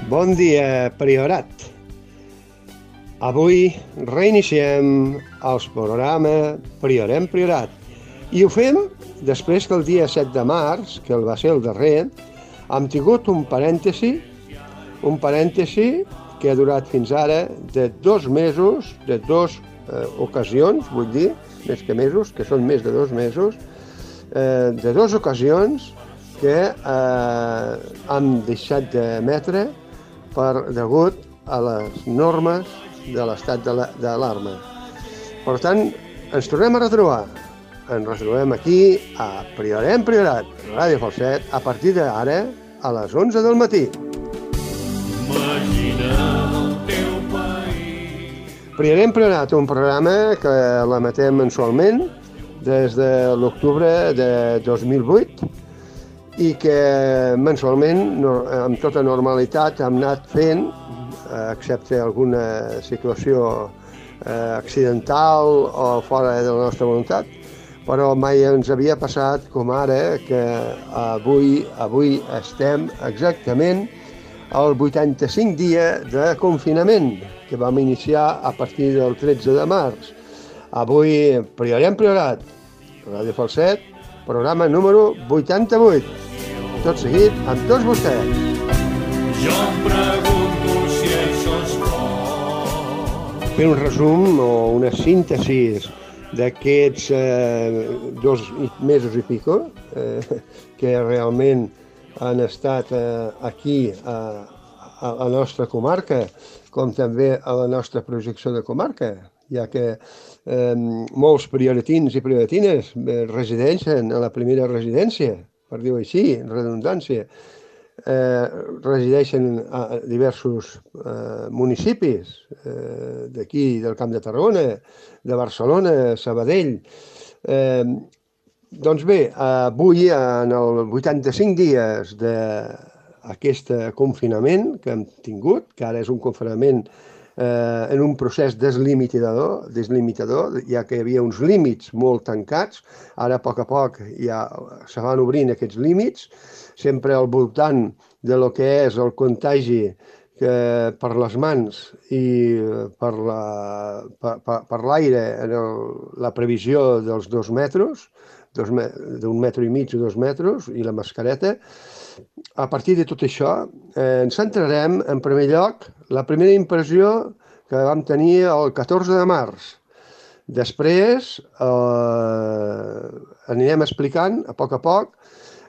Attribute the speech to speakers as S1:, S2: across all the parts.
S1: Bon dia, Priorat. Avui reiniciem el programa Priorem Priorat i ho fem després que el dia 7 de març, que va ser el darrer, hem tingut un parèntesi que ha durat fins ara de 2 mesos, de 2 ocasions, vull dir, més que mesos, que són més de 2 mesos, de 2 ocasions que hem deixat d'emetre degut a les normes de l'estat d'alarma. Per tant, ens tornem a retrobar. Ens retrobem aquí a Priorem Priorat, Ràdio Falset, a partir d'ara a les 11 del matí. Priorem Priorat, un programa que l'emetem mensualment des de l'octubre de 2008 i que mensualment, amb tota normalitat, hem anat fent, excepte alguna situació accidental o fora de la nostra voluntat, però mai ens havia passat com ara, que avui estem exactament al 85 dia de confinament, que vam iniciar a partir del 13 de març. Avui, Priorem Priorat, Ràdio Falset, programa número 88. Tot seguit, amb tots vostès.
S2: Jo em pregunto si això és bo.
S1: Fer un resum o una síntesi d'aquests 2 mesos i pico que realment han estat aquí a la nostra comarca, com també a la nostra projecció de comarca, ja que molts prioratins i prioratines resideixen a la primera residència, per dir-ho així, redundància, resideixen a diversos municipis d'aquí, del Camp de Tarragona, de Barcelona, Sabadell. Doncs bé, avui, en els 85 dies d'aquest confinament que hem tingut, que ara és un confinament en un procés deslimitador, ja que hi havia uns límits molt tancats, ara a poc ja se van obrint aquests límits, sempre al voltant de lo que és el contagi per les mans i per l'aire, la previsió dels 2 metres, d'un metre i mig o 2 metres, i la mascareta. A partir de tot això, ens centrarem, en primer lloc, la primera impressió que vam tenir el 14 de març. Després anirem explicant, a poc,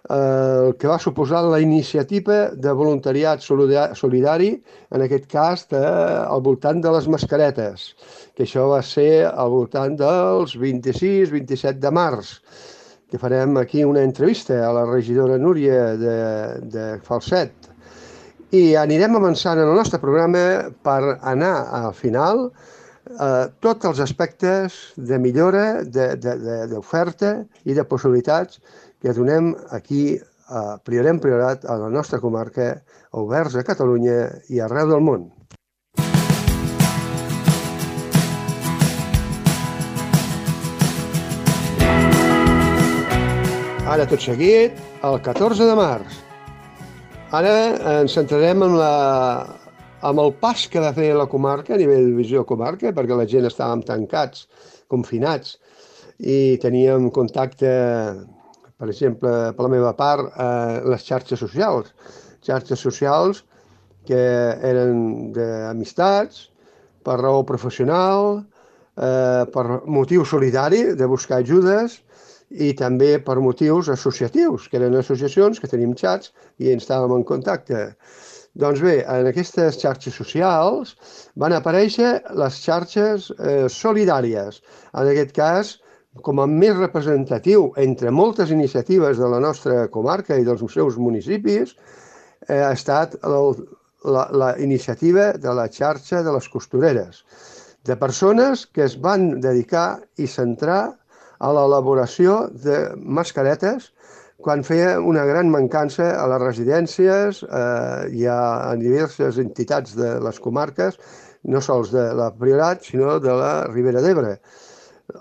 S1: el que va suposar la iniciativa de voluntariat solidari, en aquest cas al voltant de les mascaretes, que això va ser al voltant dels 26-27 de març, que farem aquí una entrevista a la regidora Núria de Falset. I anirem avançant en el nostre programa per anar al final tots els aspectes de millora, d'oferta i de possibilitats que donem aquí a Priorem Priorat, a la nostra comarca, oberts a Catalunya i arreu del món. Ara, tot seguit, el 14 de març. Ara ens centrarem en el pas que va fer la comarca, a nivell de visió comarca, perquè la gent estàvem tancats, confinats, i teníem contacte, per exemple, per la meva part, les xarxes socials que eren d'amistats, per raó professional, per motiu solidari, de buscar ajudes, i també per motius associatius, que eren associacions que tenim xats i ens estàvem en contacte. Doncs bé, en aquestes xarxes socials van aparèixer les xarxes solidàries. En aquest cas, com a més representatiu entre moltes iniciatives de la nostra comarca i dels seus municipis, ha estat la iniciativa de la xarxa de les costureres, de persones que es van dedicar i centrar a l'elaboració de mascaretes quan feia una gran mancança a les residències i a diverses entitats de les comarques, no sols de la Priorat, sinó de la Ribera d'Ebre.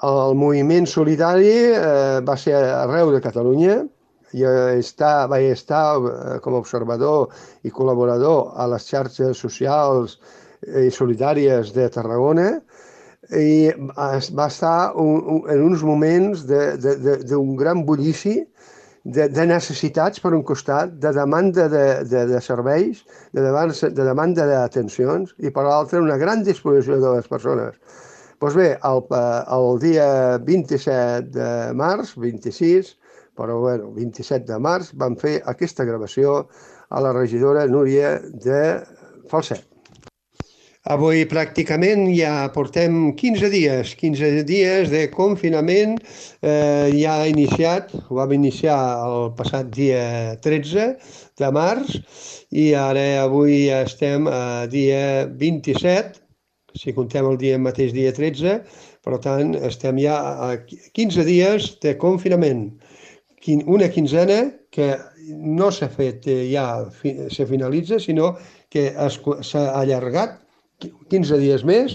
S1: El moviment solidari va ser arreu de Catalunya, vaig estar com a observador i col·laborador a les xarxes socials i solidàries de Tarragona i va estar en uns moments d'un gran bullici de necessitats per un costat, de demanda de serveis, de demanda d'atencions i per l'altre una gran disposició de les persones. Doncs bé, el dia 27 de març, 26, però bueno, 27 de març, vam fer aquesta gravació a la regidora Núria de Falset. Avui pràcticament ja portem 15 dies de confinament, ja ha iniciat, ho vam iniciar el passat dia 13 de març i ara avui ja estem a dia 27, si contem el mateix dia 13, per tant estem ja a 15 dies de confinament. Una quinzena que no s'ha fet ja, se finalitza, sinó que s'ha allargat 15 dies més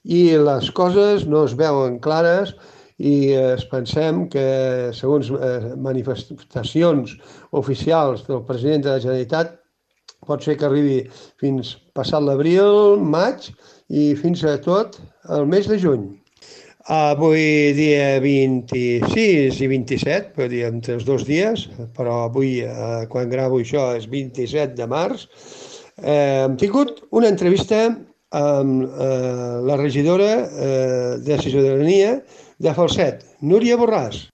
S1: i les coses no es veuen clares i pensem que, segons manifestacions oficials del president de la Generalitat, pot ser que arribi fins passat l'abril, maig i fins a tot el mes de juny. Avui dia 26 i 27, per dir entre els 2 dies, però avui, quan gravo això, és 27 de març, hem tingut una entrevista amb la regidora de Ciutadania de Falset, Núria Borràs.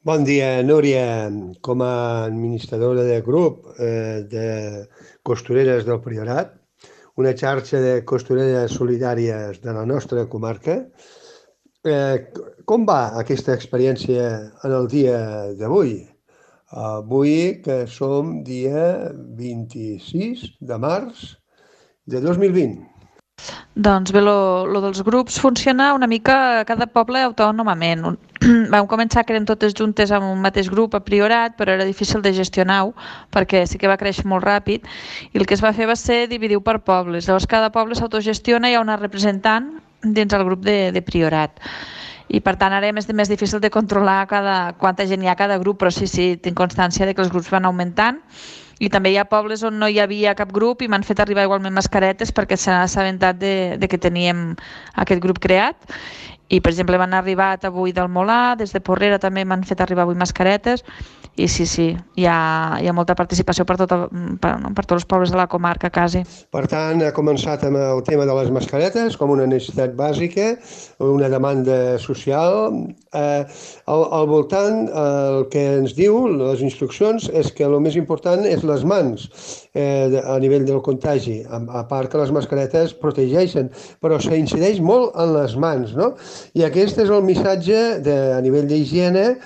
S1: Bon dia, Núria. Com a administradora del grup de costureres del Priorat, una xarxa de costureres solidàries de la nostra comarca, com va aquesta experiència en el dia d'avui? Avui, que som dia 26 de març de 2020.
S3: Doncs bé, lo dels grups funciona una mica a cada poble autònomament. Vam començar que eren totes juntes amb un mateix grup a Priorat, però era difícil de gestionar-ho perquè sí que va créixer molt ràpid i el que es va fer va ser dividir-ho per pobles. Llavors cada poble s'autogestiona i hi ha una representant dins el grup de Priorat. I per tant ara és més difícil de controlar quanta gent hi ha a cada grup, però sí, tinc constància de que els grups van augmentant. I també hi ha pobles on no hi havia cap grup i m'han fet arribar igualment mascaretes perquè s'han assabentat de que teníem aquest grup creat. I, per exemple, m'han arribat avui del Molar, des de Porrera també m'han fet arribar avui mascaretes. I sí, hi ha molta participació per tots els pobles de la comarca, quasi.
S1: Per tant, ha començat amb el tema de les mascaretes com una necessitat bàsica, una demanda social. Al voltant, el que ens diu les instruccions és que el més important és les mans a nivell del contagi, a part que les mascaretes protegeixen, però s'incideix molt en les mans, no? I aquest és el missatge a nivell d'higiene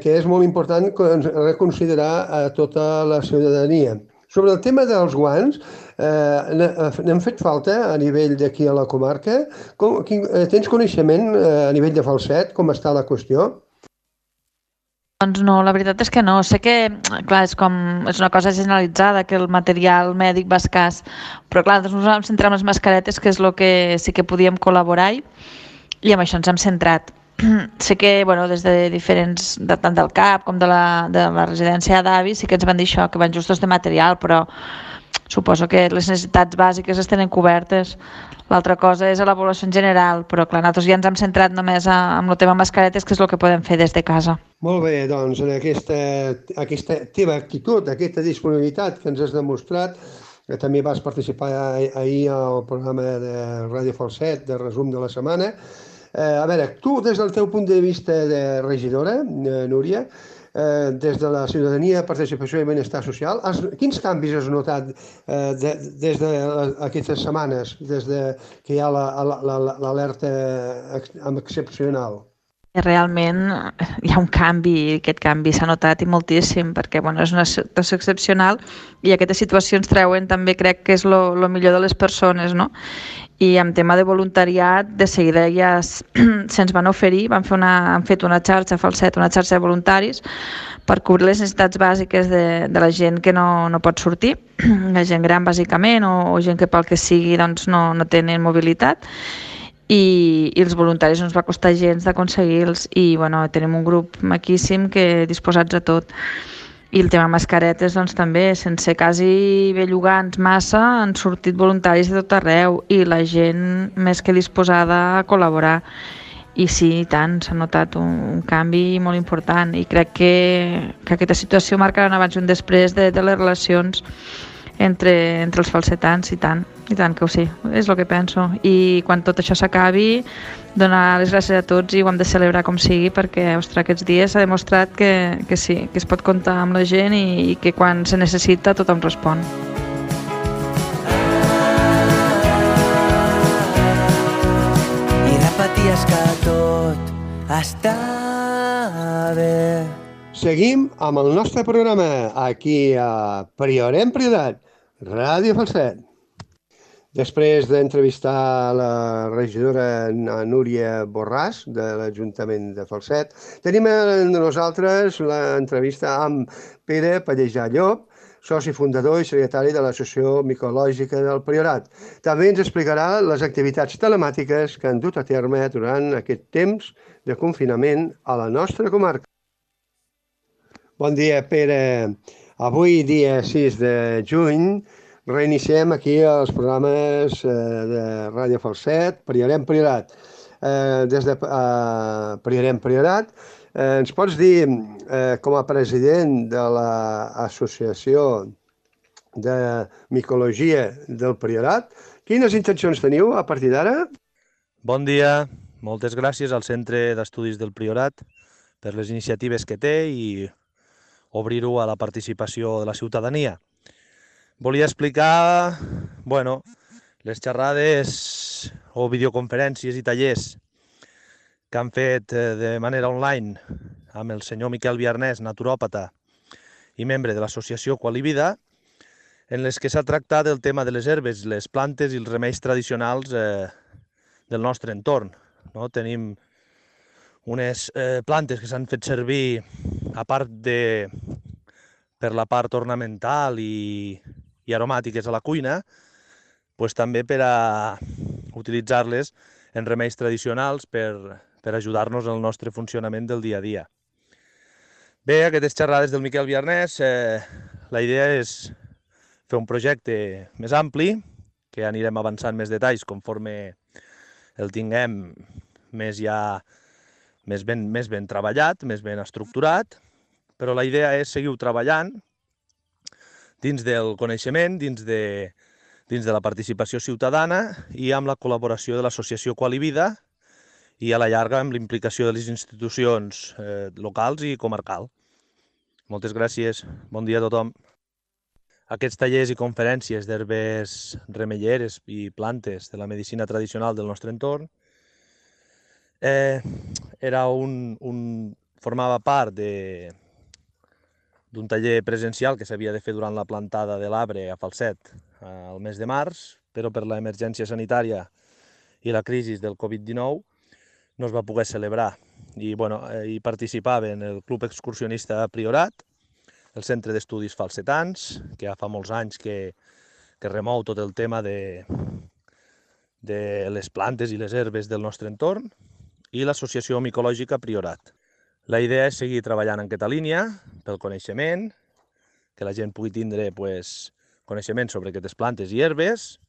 S1: que és molt important reconsiderar a tota la ciutadania. Sobre el tema dels guants, n'hem fet falta a nivell d'aquí a la comarca. Tens coneixement a nivell de Falset, com està la qüestió?
S3: Doncs no, la veritat és que no. Sé que, clar, és una cosa generalitzada, que el material mèdic va escàs, però clar, nosaltres ens vam centrar en les mascaretes, que és el que sí que podíem col·laborar i amb això ens hem centrat. Sé que des de diferents, tant del CAP com de la residència d'avis, sí que ens van dir això, que van justos de material, però suposo que les necessitats bàsiques es tenen cobertes. L'altra cosa és a la població en general, però clar, nosaltres ja ens hem centrat només en el tema mascaretes, que és el que podem fer des de casa.
S1: Molt bé, doncs en aquesta teva actitud, aquesta disponibilitat que ens has demostrat, que també vas participar ahir al programa de Ràdio Falset, de resum de la setmana. A veure, tu, des del teu punt de vista de regidora, Núria, des de la ciutadania, participació i benestar social, quins canvis has notat des d'aquestes setmanes, des que hi ha l'alerta excepcional?
S3: Realment hi ha un canvi i aquest canvi s'ha notat i moltíssim perquè és una situació excepcional i aquestes situacions treuen també crec que és el millor de les persones, no? I en tema de voluntariat de seguida ja se'ns van oferir, han fet una xarxa Falset, una xarxa de voluntaris per cobrir les necessitats bàsiques de la gent que no pot sortir, la gent gran bàsicament o gent que pel que sigui no tenen mobilitat. i els voluntaris no ens va costar gens d'aconseguir-los i bueno, tenim un grup maquíssim que disposats a tot. I el tema mascaretes doncs també, sense quasi bellugants massa, han sortit voluntaris de tot arreu i la gent més que disposada a col·laborar. I sí, i tant, s'ha notat un canvi molt important i crec que aquesta situació marcarà un abans i un després de les relacions entre els falsetans i tant que ho sí, és el que penso. I quan tot això s'acabi, donar les gràcies a tots i ho hem de celebrar com sigui perquè, ostres, aquests dies s'ha demostrat que sí, que es pot comptar amb la gent i que quan se necessita tothom respon.
S4: I repeties que tot està bé.
S1: Seguim amb el nostre programa aquí a Priorem Priorat, Ràdio Falset. Després d'entrevistar la regidora Núria Borràs de l'Ajuntament de Falset, tenim amb nosaltres l'entrevista amb Pere Pallejà Llop, soci fundador i secretari de l'Associació Micològica del Priorat. També ens explicarà les activitats telemàtiques que han dut a terme durant aquest temps de confinament a la nostra comarca. Bon dia, Pere. Avui, dia 6 de juny, reiniciem aquí els programes de Ràdio Falset, Priorem Priorat. Des de Priorem Priorat, ens pots dir, com a president de l'Associació de Micologia del Priorat, quines intencions teniu a partir d'ara?
S5: Bon dia, moltes gràcies al Centre d'Estudis del Priorat per les iniciatives que té i obrir-ho a la participació de la ciutadania. Volia explicar, les xerrades o videoconferències i tallers que han fet de manera online amb el senyor Miquel Viarnès, naturòpata i membre de l'associació Qualivida, en les que s'ha tractat el tema de les herbes, les plantes i els remeis tradicionals del nostre entorn. Tenim unes plantes que s'han fet servir, a part per la part ornamental i aromàtiques a la cuina, també per a utilitzar-les en remeis tradicionals per ajudar-nos en el nostre funcionament del dia a dia. Bé, aquestes xerrades del Miquel Viarnès, la idea és fer un projecte més ampli, que anirem avançant més detalls conforme el tinguem més ben treballat, més ben estructurat, però la idea és seguir treballant dins del coneixement, dins de la participació ciutadana i amb la col·laboració de l'associació Qualivida i a la llarga amb l'implicació de les institucions locals i comarcal. Moltes gràcies, bon dia a tothom. Aquests tallers i conferències d'herbes remeieres i plantes de la medicina tradicional del nostre entorn formava part d'un taller presencial que s'havia de fer durant la plantada de l'arbre a Falset al mes de març, però per l'emergència sanitària i la crisi del Covid-19 no es va poder celebrar. Hi participaven el Club Excursionista Priorat, el Centre d'Estudis Falsetans, que ja fa molts anys que remou tot el tema de les plantes i les herbes del nostre entorn, i l'Associació Micològica Priorat. La idea és seguir treballant en aquesta línia pel coneixement, que la gent pugui tindre coneixement sobre aquestes plantes i herbes,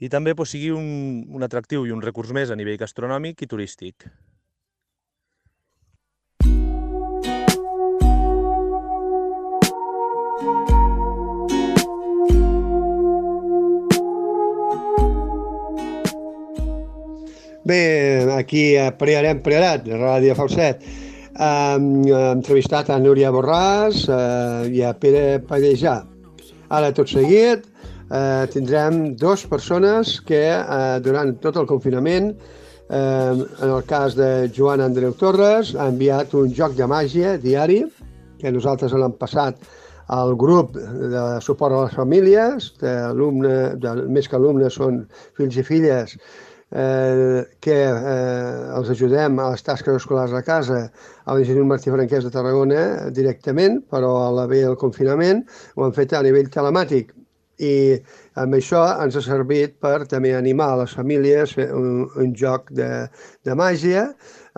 S5: i també sigui un atractiu i un recurs més a nivell gastronòmic i turístic.
S1: Bé, aquí a Priorem Priorat, Ràdio Falset, hem entrevistat a Núria Borràs i a Pere Pallejà. Ara, tot seguit, tindrem dues persones que durant tot el confinament, en el cas de Joan Andreu Torres, ha enviat un joc de màgia diari, que nosaltres l'hem passat al grup de suport a les famílies, més que alumnes són fills i filles, que els ajudem a les tasques escolars a casa a l'Institut Martí Franquès de Tarragona directament, però a la via del confinament ho han fet a nivell telemàtic I amb això ens ha servit per també animar a les famílies a fer un joc de màgia,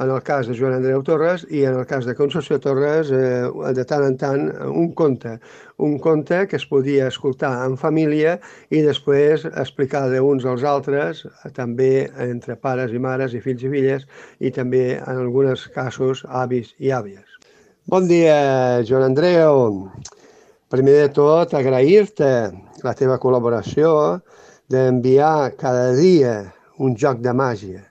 S1: en el cas de Joan Andreu Torres, i en el cas de Concepció Torres, de tant en tant, un conte que es podia escoltar en família i després explicar d'uns als altres, també entre pares i mares i fills i filles, i també en alguns casos avis i àvies. Bon dia, Joan Andreu. Primer de tot, agrair-te la teva col·laboració d'enviar cada dia un joc de màgia,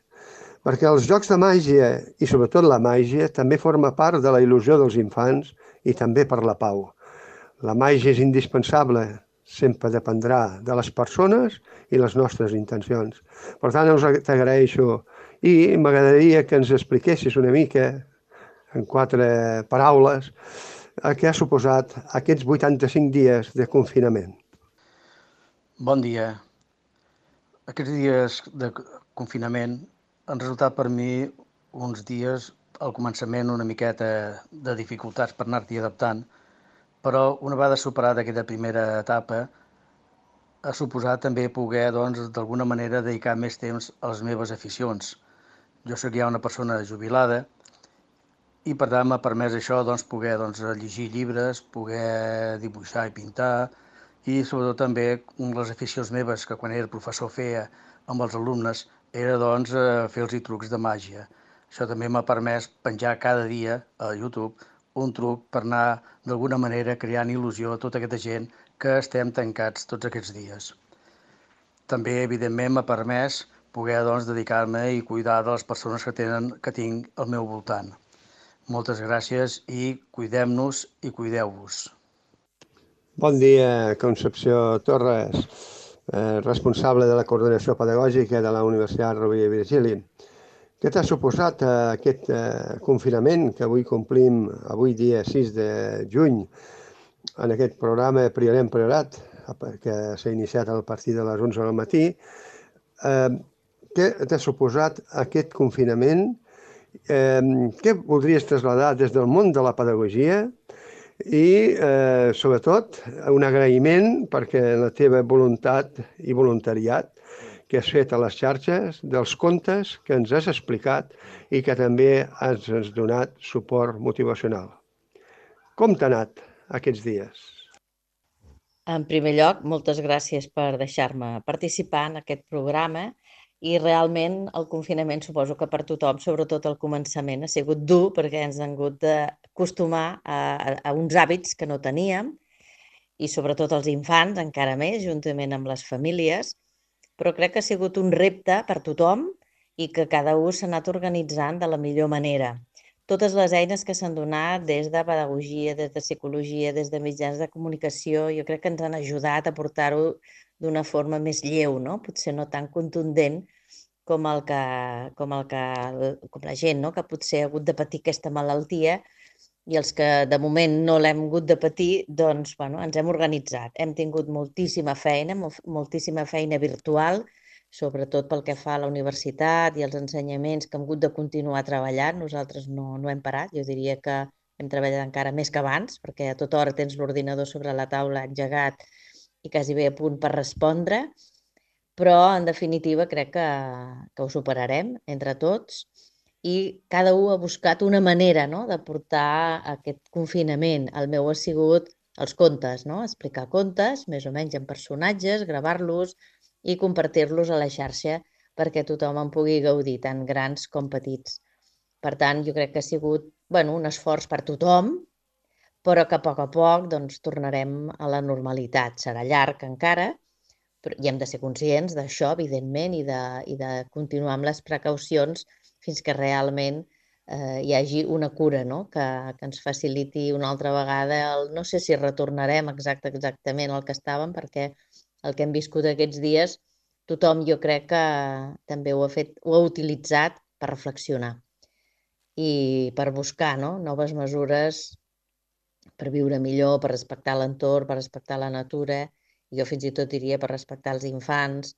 S1: perquè els jocs de màgia, i sobretot la màgia, també forma part de la il·lusió dels infants i també per la pau. La màgia és indispensable, sempre dependrà de les persones i les nostres intencions. Per tant, t'agraeixo i m'agradaria que ens expliquessis una mica, en 4 paraules, què ha suposat aquests 85 dies de confinament.
S6: Bon dia. Aquests dies de confinament han resultat per mi uns dies, al començament, una miqueta de dificultats per anar-t'hi adaptant, però una vegada superada aquesta primera etapa, ha suposat també poder, doncs, d'alguna manera dedicar més temps a les meves aficions. Jo soc ja una persona jubilada i per tant m'ha permès això, doncs, poder llegir llibres, poder dibuixar i pintar, i sobretot també les aficions meves que quan era professor feia amb els alumnes era doncs fer-los trucs de màgia. Això també m'ha permès penjar cada dia a YouTube un truc per anar d'alguna manera creant il·lusió a tota aquesta gent que estem tancats tots aquests dies. També, evidentment, m'ha permès poder doncs, dedicar-me i cuidar de les persones que tinc al meu voltant. Moltes gràcies i cuidem-nos i cuideu-vos.
S1: Bon dia, Concepció Torres, responsable de la coordinació pedagògica de la Universitat Rovira i Virgili. Què t'ha suposat aquest confinament que avui complim, avui dia 6 de juny, en aquest programa Priorem Priorat, que s'ha iniciat a partir de les 11 del matí? Què t'ha suposat aquest confinament? Què voldries traslladar des del món de la pedagogia? I, sobretot, un agraïment perquè la teva voluntat i voluntariat que has fet a les xarxes, dels contes que ens has explicat i que també has donat suport motivacional. Com t'ha anat aquests dies?
S7: En primer lloc, moltes gràcies per deixar-me participar en aquest programa i realment el confinament suposo que per tothom, sobretot al començament, ha sigut dur perquè ens han hagut d'acostumar a uns hàbits que no teníem i sobretot els infants encara més, juntament amb les famílies, però crec que ha sigut un repte per tothom i que cada un s'ha anat organitzant de la millor manera. Totes les eines que s'han donat des de pedagogia, des de psicologia, des de mitjans de comunicació, jo crec que ens han ajudat a portar-ho d'una forma més lleu, no? Potser no tan contundent com la gent, no? Que potser ha hagut de patir aquesta malaltia i els que de moment no l'hem hagut de patir, doncs ens hem organitzat. Hem tingut moltíssima feina virtual, sobretot pel que fa a la universitat i els ensenyaments que hem hagut de continuar treballant. Nosaltres no hem parat, jo diria que hem treballat encara més que abans, perquè a tota hora tens l'ordinador sobre la taula engegat i quasi bé a punt per respondre, però en definitiva crec que ho superarem entre tots i cada un ha buscat una manera, no?, de portar aquest confinament. El meu ha sigut els contes, no?, explicar contes, més o menys en personatges, gravar-los i compartir-los a la xarxa perquè tothom en pugui gaudir, tant grans com petits. Per tant, jo crec que ha sigut un esforç per tothom, però que a poc tornarem a la normalitat. Serà llarg encara, i hem de ser conscients d'això, evidentment, i de continuar amb les precaucions fins que realment hi hagi una cura, no?, que ens faciliti una altra vegada. No sé si retornarem exactament al que estàvem, perquè el que hem viscut aquests dies, tothom jo crec que també ho ha utilitzat per reflexionar i per buscar noves mesures per viure millor, per respectar l'entorn, per respectar la natura, i jo fins i tot diria per respectar els infants,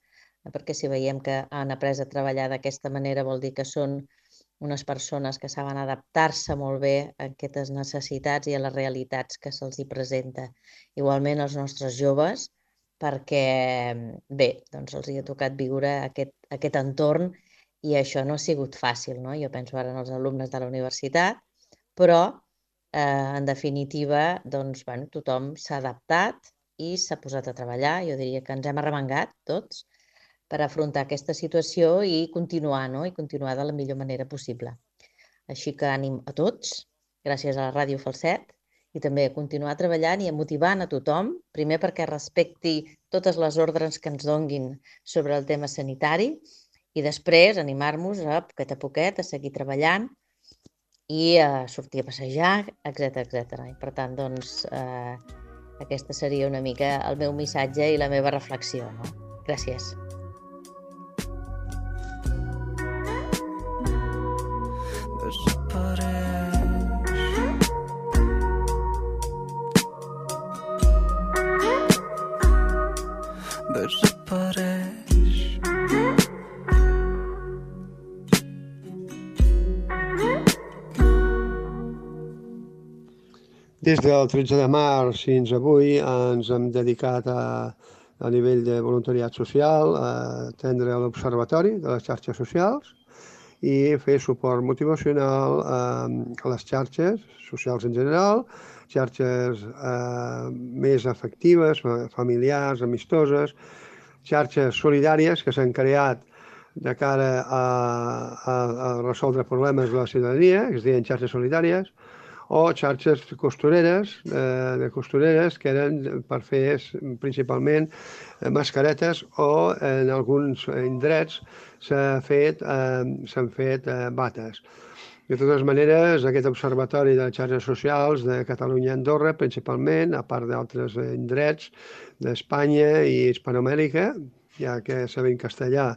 S7: perquè si veiem que han après a treballar d'aquesta manera vol dir que són unes persones que saben adaptar-se molt bé a aquestes necessitats i a les realitats que se'ls hi presenta. Igualment els nostres joves, perquè, bé, doncs els hi ha tocat viure aquest entorn i això no ha sigut fàcil, no? Jo penso ara en els alumnes de la universitat, però, en definitiva, doncs, bueno, tothom s'ha adaptat i s'ha posat a treballar. Jo diria que ens hem arremangat tots per afrontar aquesta situació i continuar, no? I continuar de la millor manera possible. Així que ànim a tots, gràcies a la Ràdio Falset, i també a continuar treballant i a motivant a tothom, primer perquè respecti totes les ordres que ens donguin sobre el tema sanitari i després animar-nos a poquet a seguir treballant i a sortir a passejar, etc. I per tant, doncs, aquesta seria una mica el meu missatge i la meva reflexió, no? Gràcies.
S4: Desapareix.
S1: Des del 13 de març fins avui ens hem dedicat a nivell de voluntariat social a atendre l'observatori de les xarxes socials i fer suport motivacional a les xarxes socials en general, xarxes més afectives, familiars, amistoses, xarxes solidàries que s'han creat de cara a resoldre problemes de la ciutadania, que es deien xarxes solidàries, o xarxes costureres, de costureres que eren per fer principalment mascaretes o en alguns indrets s'han fet bates. De totes maneres, aquest observatori de xarxes socials de Catalunya i Andorra, principalment, a part d'altres indrets d'Espanya i Hispanoamèrica, ja que sabent castellà,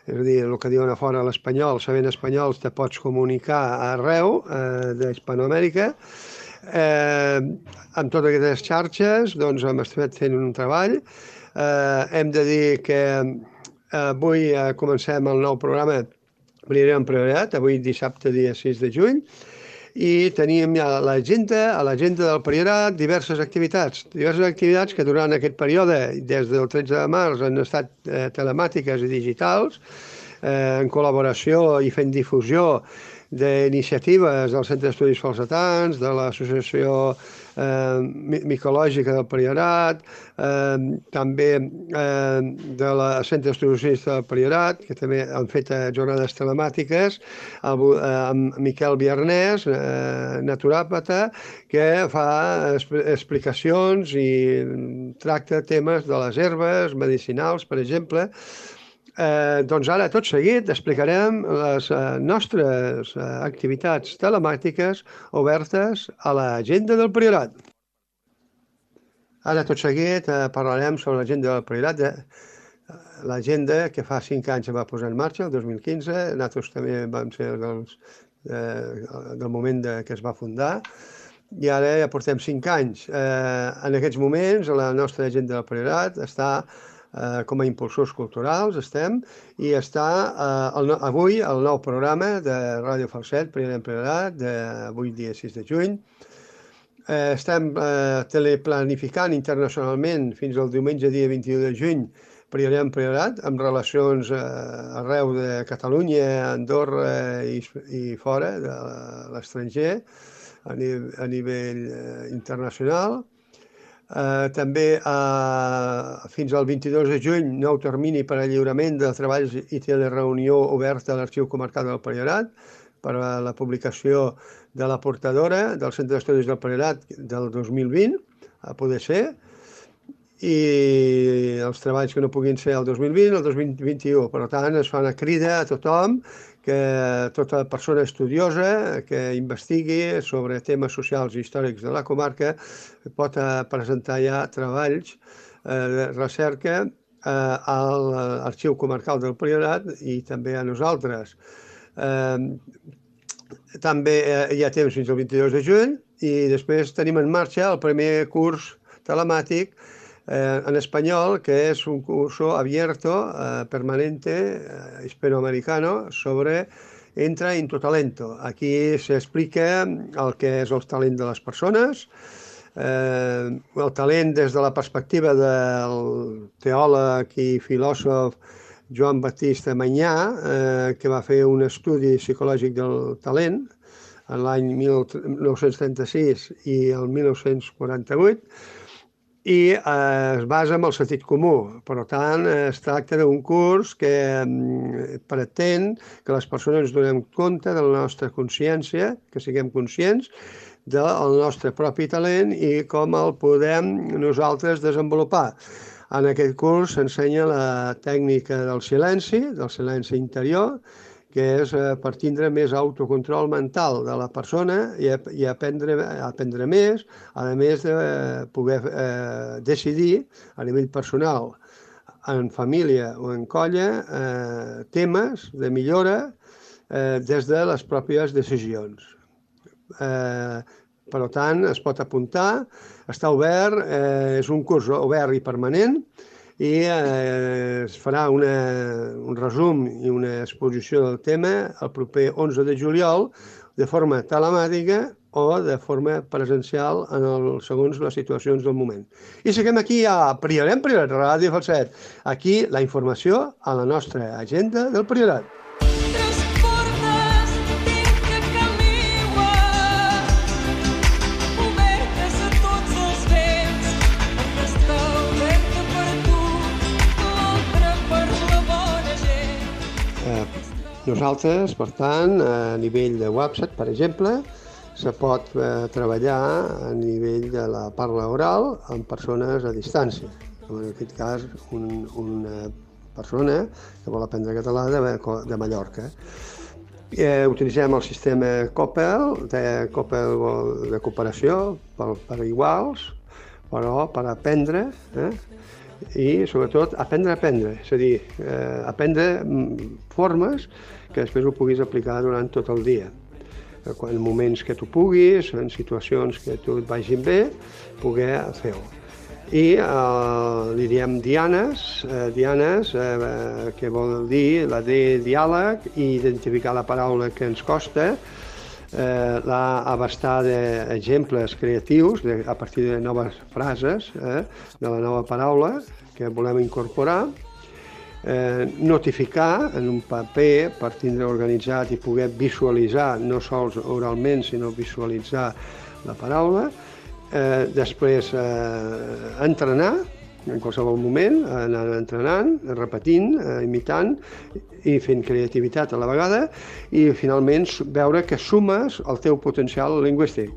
S1: és a dir, el que diuen a fora l'espanyol, sabent espanyol te pots comunicar arreu d'Hispanoamèrica. Amb totes aquestes xarxes doncs, hem estat fent un treball. Hem de dir que avui comencem el nou programa Priorat en Priorat, avui dissabte, dia 6 de juny, i tenim ja a l'agenda del Priorat diverses activitats que durant aquest període, des del 13 de març, han estat telemàtiques i digitals, en col·laboració i fent difusió d'iniciatives del Centre d'Estudis Falsetans, de l'Associació Micològica del Priorat, també de la Centre d'Estudis del Priorat, que també han fet jornades telemàtiques, amb Miquel Biarnès, naturòpata, que fa explicacions i tracta temes de les herbes medicinals, per exemple. Doncs ara, tot seguit, explicarem les nostres activitats telemàtiques obertes a l'agenda del Priorat. Ara, tot seguit, parlarem sobre l'agenda del Priorat, l'agenda que fa 5 anys es va posar en marxa, el 2015, nosaltres també vam ser del moment que es va fundar, i ara ja portem 5 anys. En aquests moments, la nostra agenda del Priorat està com a impulsors culturals, i està avui el nou programa de Ràdio Falset, Priorat en Priorat, d'avui dia 6 de juny. Estem teleplanificant internacionalment fins al diumenge dia 21 de juny Priorat en Priorat, amb relacions arreu de Catalunya, Andorra i fora de l'estranger, a nivell internacional. També fins al 22 de juny, nou termini per al lliurament de treballs i telereunió oberta a l'Arxiu Comarcal del Priorat per a la publicació de la portadora del Centre d'Estudis del Priorat del 2020, a poder ser, i els treballs que no puguin ser el 2020 o el 2021. Per tant, es fa una crida a tothom, que tota persona estudiosa que investigui sobre temes socials i històrics de la comarca pot presentar ja treballs de recerca a l'Arxiu Comarcal del Priorat i també a nosaltres. També hi ha temps fins al 22 de juny i després tenim en marxa el primer curs telemàtic en español, que es un curso abierto, permanente, hispanoamericano, sobre Entra en tu talento. Aquí s'explica el que és el talent de les persones, el talent des de la perspectiva del teòleg i filòsof Joan Baptista Mañà, que va fer un estudi psicològic del talent en l'any 1936 i el 1948, i es basa en el sentit comú. Per tant, es tracta d'un curs que pretén que les persones ens donem compte de la nostra consciència, que siguem conscients del nostre propi talent i com el podem nosaltres desenvolupar. En aquest curs s'ensenya la tècnica del silenci interior, que és per tindre més autocontrol mental de la persona i aprendre més, a més de poder decidir a nivell personal, en família o en colla, temes de millora des de les pròpies decisions. Per tant, es pot apuntar, està obert, és un curs obert i permanent, i es farà un resum i una exposició del tema el proper 11 de juliol de forma telemàtica o de forma presencial segons les situacions del moment. I seguim aquí a Priorat, Ràdio Falset. Aquí la informació a la nostra agenda del Priorat. Nosaltres, per tant, a nivell de WhatsApp, per exemple, se pot treballar a nivell de la parla oral amb persones a distància. En aquest cas, una persona que vol aprendre català de Mallorca. Utilitzem el sistema COPEL, de cooperació per iguals, però per aprendre, i sobretot aprendre, és a dir, aprendre formes que després ho puguis aplicar durant tot el dia. En moments que tu puguis, en situacions que tu et vagin bé, poder fer-ho. I li diem dianes, que vol dir la D, diàleg, i identificar la paraula que ens costa, abastar d'exemples creatius a partir de noves frases, de la nova paraula que volem incorporar, notificar en un paper per tindre organitzat i poder visualitzar, no sols oralment, sinó visualitzar la paraula, després entrenar, en qualsevol moment, anar entrenant, repetint, imitant i fent creativitat a la vegada, i finalment veure que sumes el teu potencial lingüístic.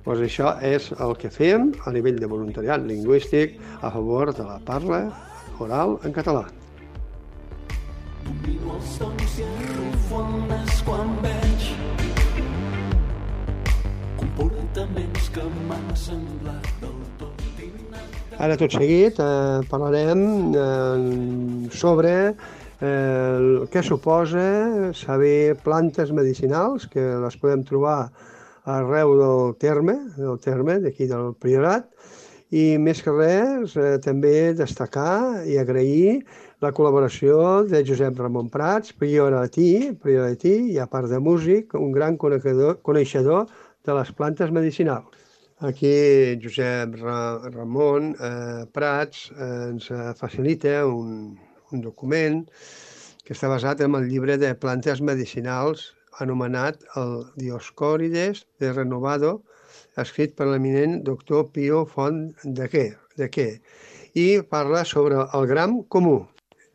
S1: Doncs això és el que fem a nivell de voluntariat lingüístic a favor de la parla oral en català.
S2: Domino els sons i arrufo el nas quan veig comportaments que m'han semblat del tot innats.
S1: Ara, tot seguit, parlarem sobre què suposa saber plantes medicinals, que les podem trobar arreu del terme d'aquí del Priorat, i més que res també destacar i agrair la col·laboració de Josep Ramon Prats, prioratí i a part de músic, un gran coneixedor de les plantes medicinals. Aquí Josep Ramon Prats ens facilita un document que està basat en el llibre de plantes medicinals anomenat el Dioscòrides de Renovado, escrit per l'eminent doctor Pio Font de Quer, i parla sobre el gram comú.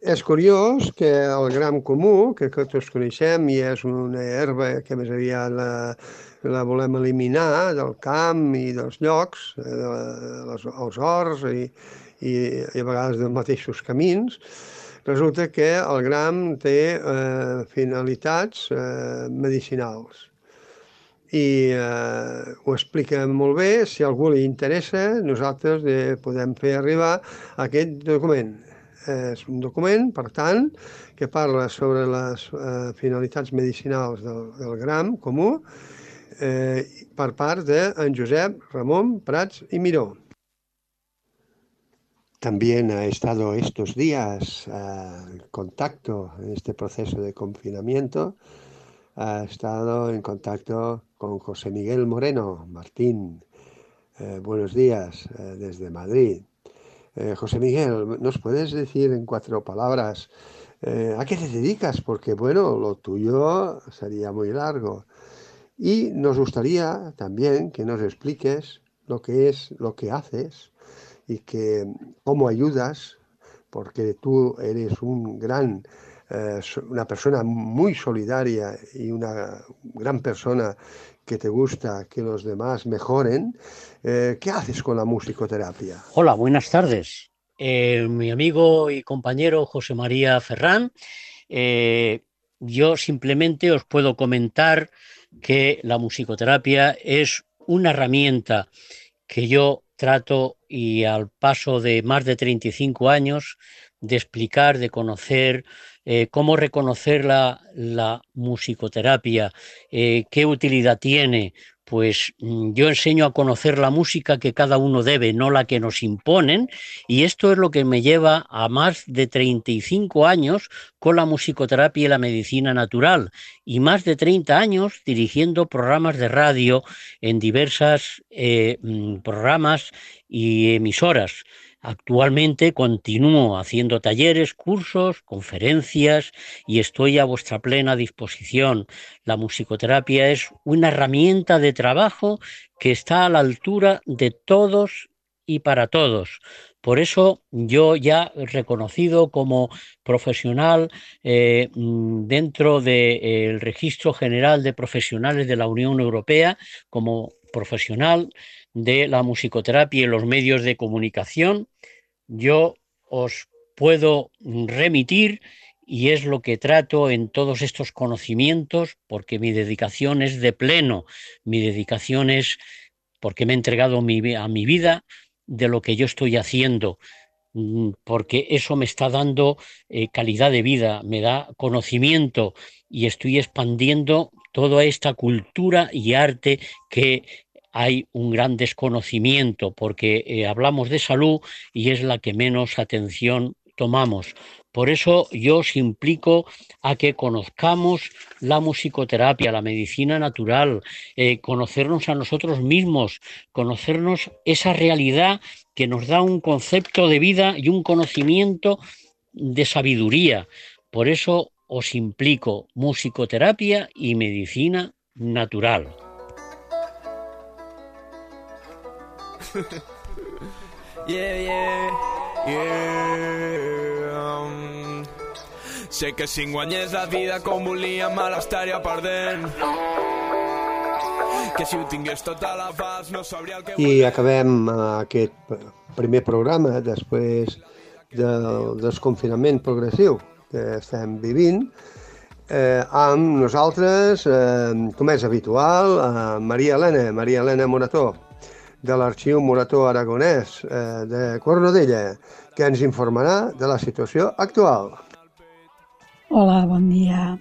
S1: És curiós que el gram comú, que tots coneixem i és una herba que més aviat la volem eliminar del camp i dels llocs, els horts i a vegades dels mateixos camins, resulta que el gram té finalitats medicinals. I ho explica molt bé. Si a algú li interessa, nosaltres podem fer arribar aquest document. És un document, per tant, que parla sobre les finalitats medicinals del gram comú per part de Josep Ramon Prats y Miró. También ha estado estos días en contacto en este proceso de confinamiento. Ha estado en contacto con José Miguel Moreno Martín, Buenos días desde Madrid. José Miguel, ¿nos puedes decir en 4 palabras a qué te dedicas? Porque, bueno, lo tuyo sería muy largo. Y nos gustaría también que nos expliques lo que es, lo que haces y que cómo ayudas, porque tú eres una persona muy solidaria y una gran persona que te gusta que los demás mejoren. ¿Qué haces con la musicoterapia?
S8: Hola, buenas tardes. Mi amigo y compañero José María Ferrán, yo simplemente os puedo comentar que la musicoterapia es una herramienta que yo trato y al paso de más de 35 años de explicar, de conocer cómo reconocer la musicoterapia, qué utilidad tiene. Pues yo enseño a conocer la música que cada uno debe, no la que nos imponen, y esto es lo que me lleva a más de 35 años con la musicoterapia y la medicina natural, y más de 30 años dirigiendo programas de radio en diversas programas y emisoras. Actualmente continúo haciendo talleres, cursos, conferencias y estoy a vuestra plena disposición. La musicoterapia es una herramienta de trabajo que está a la altura de todos y para todos. Por eso yo ya reconocido como profesional dentro del Registro General de Profesionales de la Unión Europea, como profesional de la musicoterapia y los medios de comunicación, yo os puedo remitir y es lo que trato en todos estos conocimientos, porque mi dedicación es de pleno, mi dedicación es porque me he entregado a mi vida de lo que yo estoy haciendo, porque eso me está dando calidad de vida, me da conocimiento y estoy expandiendo toda esta cultura y arte que hay un gran desconocimiento, porque hablamos de salud y es la que menos atención tomamos. Por eso yo os implico a que conozcamos la musicoterapia, la medicina natural, conocernos a nosotros mismos, conocernos esa realidad que nos da un concepto de vida y un conocimiento de sabiduría. Por eso os implico musicoterapia y medicina natural.
S9: Sé que si guanyés la vida com volia me l'estaria perdent, que si ho tingués tot a l'abast no sabria el que
S1: I acabem aquest primer programa després del desconfinament progressiu que estem vivint amb nosaltres, com és habitual, Maria Elena Morató, de l'Arxiu Morató Aragonès de Cornudella, que ens informarà de la situació actual.
S10: Hola, bon dia.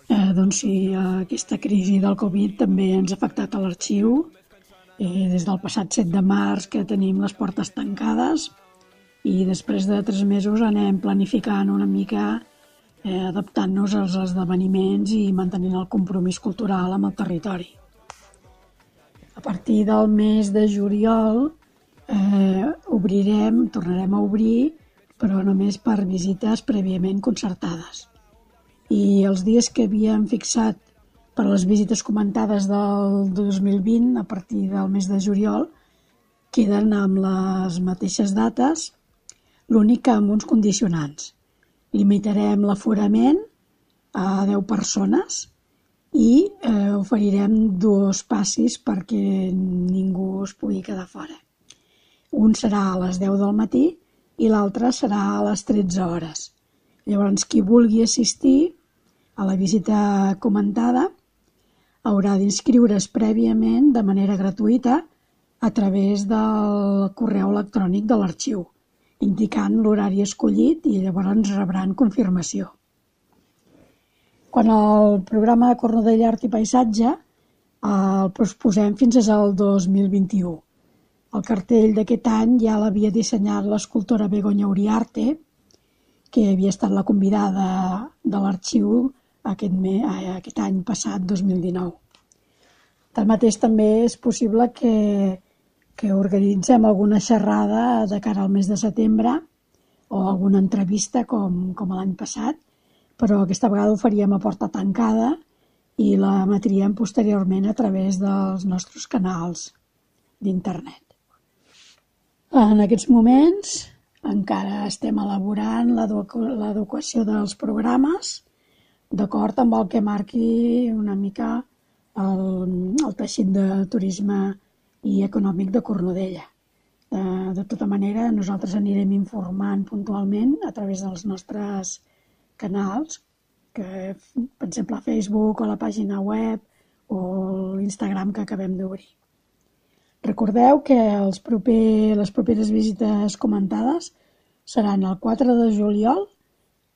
S10: Doncs sí, aquesta crisi del Covid també ens ha afectat a l'arxiu. Des del passat 7 de març que tenim les portes tancades i després de 3 mesos anem planificant una mica, adaptant-nos als esdeveniments i mantenint el compromís cultural amb el territori. A partir del mes de juliol tornarem a obrir, però només per visites prèviament concertades. I els dies que havíem fixat per les visites comentades del 2020, a partir del mes de juliol, queden amb les mateixes dates, l'únic que amb uns condicionants. Limitarem l'aforament a 10 persones i oferirem 2 passis perquè ningú es pugui quedar fora. Un serà a les 10 del matí i l'altre serà a les 13 hores. Llavors, qui vulgui assistir a la visita comentada haurà d'inscriure's prèviament de manera gratuïta a través del correu electrònic de l'arxiu, indicant l'horari escollit i llavors rebran confirmació. Quan el programa de Cornudella Art i Paisatge el posposem fins al 2021. El cartell d'aquest any ja l'havia dissenyat l'escultora Begoña Uriarte, que havia estat la convidada de l'arxiu aquest any passat, 2019. Tanmateix, també és possible que que organitzem alguna xerrada de cara al mes de setembre o alguna entrevista com l'any passat, però aquesta vegada ho faríem a porta tancada i la emetríem posteriorment a través dels nostres canals d'internet. En aquests moments encara estem elaborant l'adequació dels programes d'acord amb el que marqui una mica el teixit de turisme i econòmic de Cornudella. De tota manera, nosaltres anirem informant puntualment a través dels nostres canals, que, per exemple, a Facebook o a la pàgina web o l'Instagram que acabem d'obrir. Recordeu que les properes visites comentades seran el 4 de juliol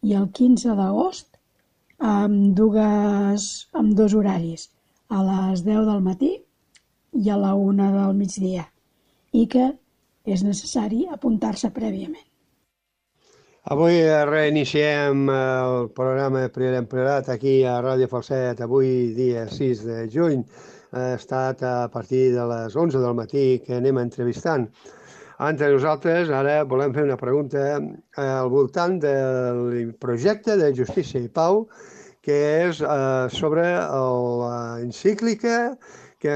S10: i el 15 d'agost amb dos horaris, a les 10 del matí i a la 1 del migdia, i que és necessari apuntar-se prèviament.
S1: Avui reiniciem el programa Priorat en Priorat aquí a Ràdio Falset, avui dia 6 de juny. Ha estat a partir de les 11 del matí que anem entrevistant. Entre nosaltres ara volem fer una pregunta al voltant del projecte de Justícia i Pau, que és sobre l'encíclica que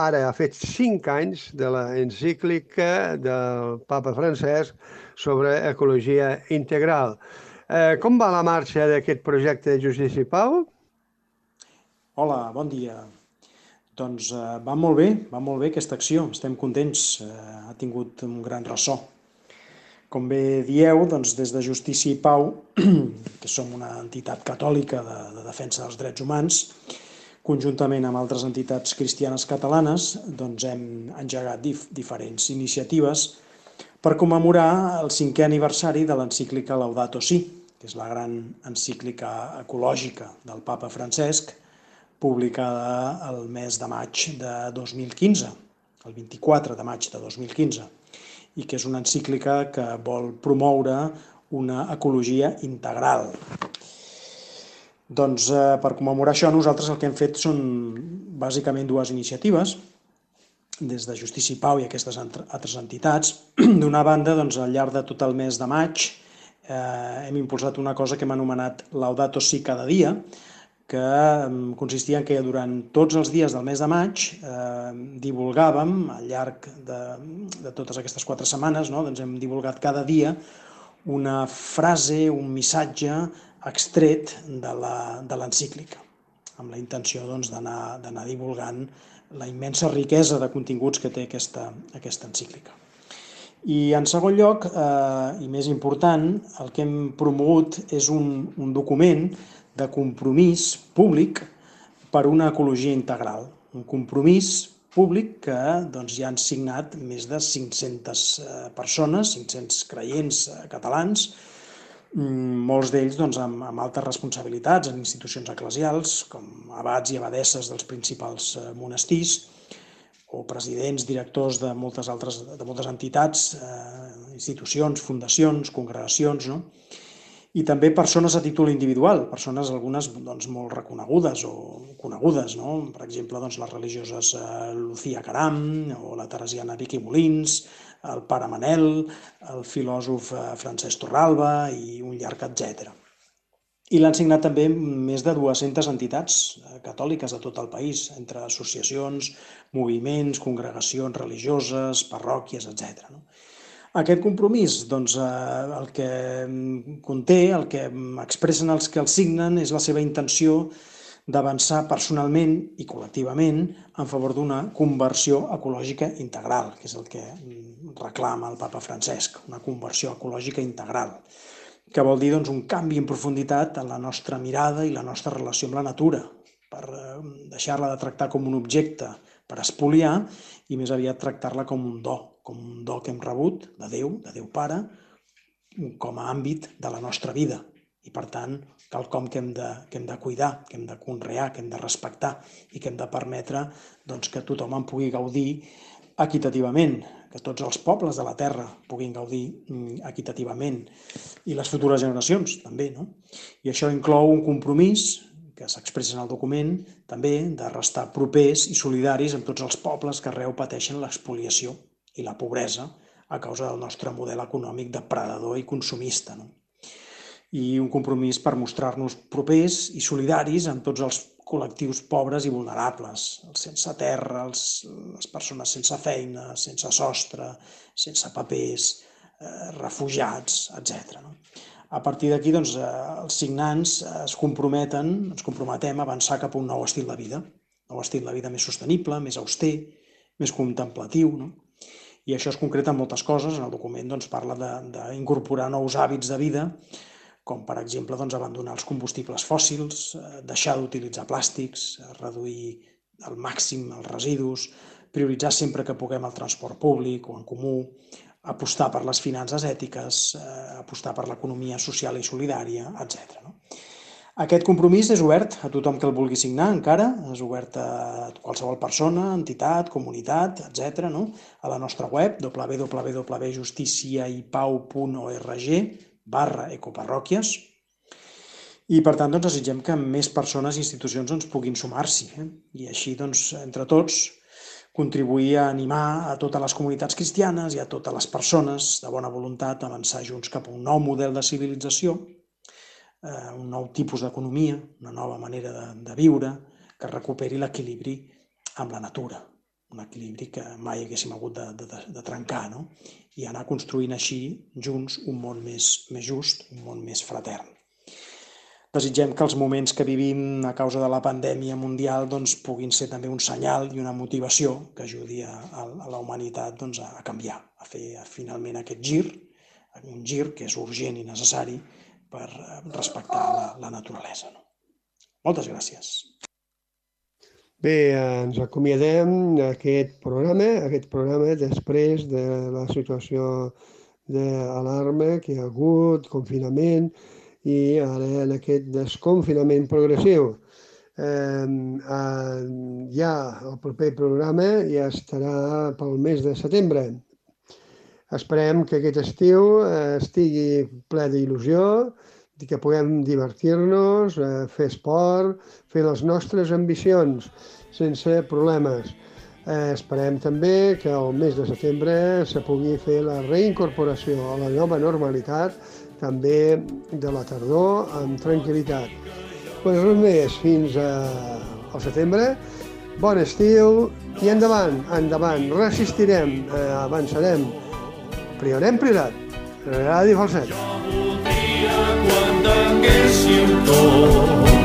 S1: ara ha fet 5 anys de l'encíclica del Papa Francesc sobre ecologia integral. Com va la marxa d'aquest projecte de Justícia i Pau?
S11: Hola, bon dia. Doncs va molt bé aquesta acció, estem contents, ha tingut un gran ressò. Com bé dieu, doncs des de Justícia i Pau, que som una entitat catòlica de defensa dels drets humans, conjuntament amb altres entitats cristianes catalanes, doncs hem engegat diferents iniciatives per commemorar el 5è aniversari de l'encíclica Laudato Si, que és la gran encíclica ecològica del Papa Francesc, publicada el mes de maig de 2015, el 24 de maig de 2015, i que és una encíclica que vol promoure una ecologia integral. Doncs per commemorar això nosaltres el que hem fet són bàsicament 2 iniciatives, des de Justícia i Pau i aquestes altres entitats. D'una banda, doncs, al llarg de tot el mes de maig hem impulsat una cosa que hem anomenat Laudato Si cada dia, que consistia en que durant tots els dies del mes de maig divulgàvem, al llarg de totes aquestes 4 setmanes, doncs hem divulgat cada dia una frase, un missatge extret de l'encíclica, amb la intenció d'anar divulgant la immensa riquesa de continguts que té aquesta encíclica. I en segon lloc, i més important, el que hem promogut és un document de compromís públic per una ecologia integral. Un compromís públic que ja han signat més de 500 persones, 500 creients catalans, molts d'ells amb altes responsabilitats en institucions eclesials, com abats i abadesses dels principals monestirs, o presidents, directors de moltes entitats, institucions, fundacions, congregacions, i també persones a títol individual, persones algunes molt reconegudes o conegudes, per exemple les religioses Lucía Caram o la teresiana Vicky Molins, el pare Manel, el filòsof Francesc Torralba i un llarg etcètera. I l'han signat també més de 200 entitats catòliques de tot el país, entre associacions, moviments, congregacions religioses, parròquies, etc. Aquest compromís, el que conté, el que expressen els que el signen, és la seva intenció d'avançar personalment i col·lectivament en favor d'una conversió ecològica integral, que és el que reclama el Papa Francesc, una conversió ecològica integral, que vol dir un canvi en profunditat en la nostra mirada i la nostra relació amb la natura, per deixar-la de tractar com un objecte per espoliar i més aviat tractar-la com un do que hem rebut de Déu Pare, com a àmbit de la nostra vida. I per tant, quelcom que hem de cuidar, que hem de conrear, que hem de respectar i que hem de permetre que tothom en pugui gaudir equitativament, que tots els pobles de la Terra puguin gaudir equitativament i les futures generacions també. I això inclou un compromís que s'expressa en el document també de restar propers i solidaris amb tots els pobles que arreu pateixen l'expoliació i la pobresa a causa del nostre model econòmic depredador i consumista, no? I un compromís per mostrar-nos propers i solidaris amb tots els col·lectius pobres i vulnerables, els sense terra, les persones sense feina, sense sostre, sense papers, refugiats, etc. A partir d'aquí, doncs, els signants ens comprometem a avançar cap a un nou estil de vida, més sostenible, més auster, més contemplatiu, no? I això es concreta en moltes coses. En el document parla d'incorporar nous hàbits de vida, com per exemple abandonar els combustibles fòssils, deixar d'utilitzar plàstics, reduir al màxim els residus, prioritzar sempre que puguem el transport públic o en comú, apostar per les finances ètiques, apostar per l'economia social i solidària, etc. Aquest compromís és obert a tothom que el vulgui signar encara, és obert a qualsevol persona, entitat, comunitat, etc. A la nostra web, www.justiciaipau.org/ecoparròquies, i per tant desitgem que més persones i institucions puguin sumar-s'hi i així, entre tots, contribuir a animar a totes les comunitats cristianes i a totes les persones de bona voluntat a avançar junts cap a un nou model de civilització, un nou tipus d'economia, una nova manera de viure, que recuperi l'equilibri amb la natura, un equilibri que mai haguéssim hagut de trencar, no? I anar construint així, junts, un món més just, un món més fratern. Desitgem que els moments que vivim a causa de la pandèmia mundial puguin ser també un senyal i una motivació que ajudi a la humanitat a canviar, a fer finalment aquest gir, un gir que és urgent i necessari per respectar la naturalesa. Moltes gràcies.
S1: Bé, ens acomiadem d'aquest programa després de la situació d'alarma que hi ha hagut, confinament, i ara en aquest desconfinament progressiu. Ja el proper programa ja estarà pel mes de setembre. Esperem que aquest estiu estigui ple d'il·lusió, que puguem divertir-nos, fer esport, fer les nostres ambicions sense problemes. Esperem també que el mes de setembre se pugui fer la reincorporació a la nova normalitat, també de la tardor, amb tranquil·litat. Doncs res més, fins al setembre. Bon estiu i endavant, resistirem, avançarem. Priorat, Ràdio Falset.
S2: Jo voldria quan tinguéssim tot